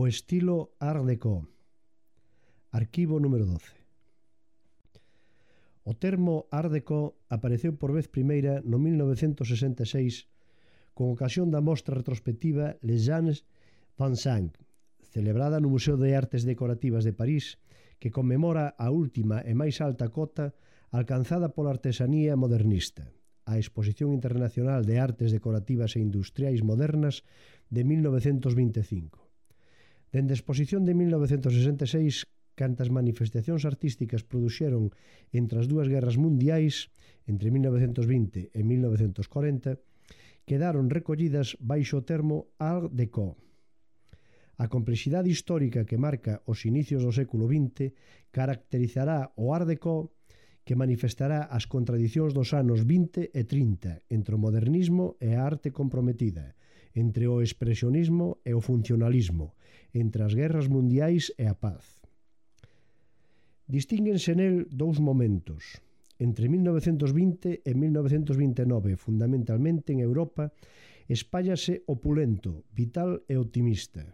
O estilo Art Deco. Arquivo número 12. O termo Art Deco apareceu por vez primeira no 1966 con ocasión da mostra retrospectiva Les Gens Vincent, celebrada no Museo de Artes Decorativas de París, que conmemora a última e máis alta cota alcanzada pola artesanía modernista, a Exposición Internacional de Artes Decorativas e Industriais Modernas de 1925. Dende a exposición de 1966, cantas manifestacións artísticas produxeron entre as dúas guerras mundiais, entre 1920 e 1940, quedaron recollidas baixo o termo Art Deco. A complexidade histórica que marca os inicios do século XX caracterizará o Art Deco, que manifestará as contradicións dos anos 20 e 30 entre o modernismo e a arte comprometida, entre o expresionismo e o funcionalismo, entre as guerras mundiais e a paz. Distínguense nel dous momentos. Entre 1920 e 1929, fundamentalmente en Europa, espállase opulento, vital e optimista.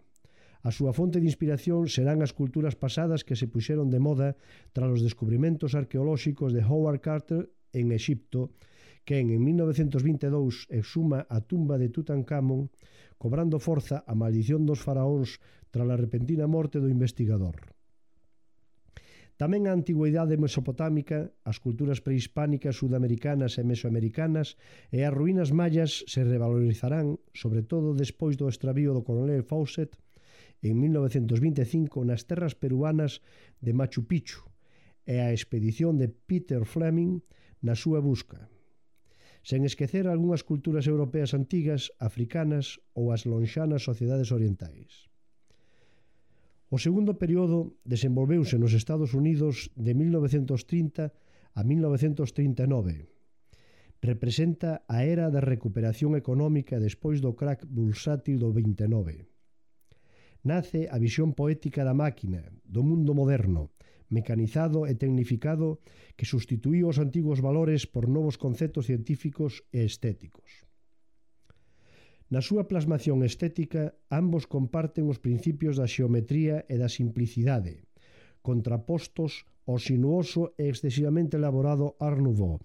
A súa fonte de inspiración serán as culturas pasadas que se puxeron de moda tras os descubrimentos arqueolóxicos de Howard Carter en Exipto, que en 1922 exhuma a tumba de Tutankamón, cobrando forza a maldición dos faraóns tras a repentina morte do investigador. Tamén a antigüidade mesopotámica, as culturas prehispánicas sudamericanas e mesoamericanas e as ruínas mayas se revalorizarán, sobre todo despois do extravío do coronel Fawcett en 1925 nas terras peruanas de Machu Picchu e a expedición de Peter Fleming na súa busca. Sen esquecer algunhas culturas europeas antigas, africanas ou as lonxanas sociedades orientais. O segundo período desenvolveuse nos Estados Unidos de 1930 a 1939. Representa a era da recuperación económica despois do crack bursátil do 29. Nace a visión poética da máquina, do mundo moderno, mecanizado e tecnificado que sustituíu os antigos valores por novos conceptos científicos e estéticos. Na súa plasmación estética, ambos comparten os principios da xeometría e da simplicidade, contrapostos ao sinuoso e excesivamente elaborado Art Nouveau.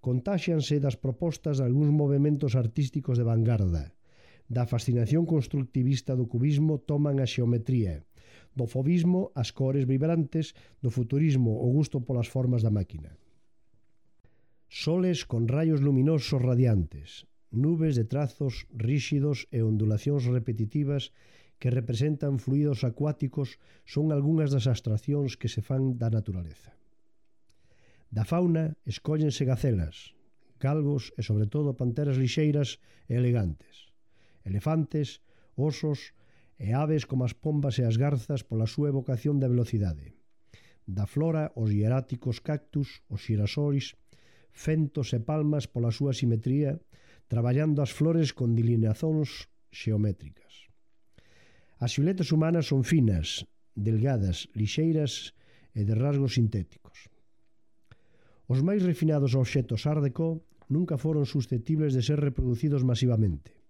Contáxianse das propostas de algúns movementos artísticos de vanguarda. Da fascinación constructivista do cubismo toman a xeometría, do fauvismo as cores vibrantes, do futurismo o gusto polas formas da máquina. Soles con raios luminosos radiantes, nubes de trazos ríxidos e ondulacións repetitivas que representan fluidos acuáticos son algunhas das abstraccións que se fan da naturaleza. Da fauna escóllense gacelas, galgos e, sobre todo, panteras lixeiras e elegantes, elefantes, osos e aves como as pombas e as garzas pola súa evocación da velocidade. Da flora, os hieráticos cactus, os xirasóis, fentos e palmas pola súa simetría, traballando as flores con delineacións xeométricas. As siluetas humanas son finas, delgadas, lixeiras e de rasgos sintéticos. Os máis refinados obxectos Art Deco nunca foron susceptibles de ser reproducidos masivamente.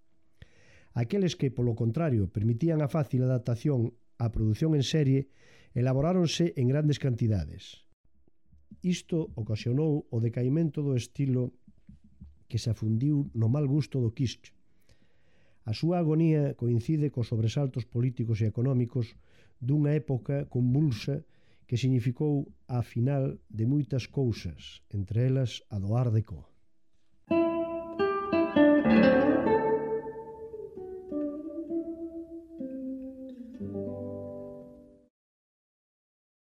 Aqueles que, polo contrario, permitían a fácil adaptación á produción en serie, elaboráronse en grandes cantidades. Isto ocasionou o decaimento do estilo que se afundiu no mal gusto do kitsch. A súa agonía coincide cos sobresaltos políticos e económicos dunha época convulsa que significou a final de moitas cousas, entre elas a do Art Deco.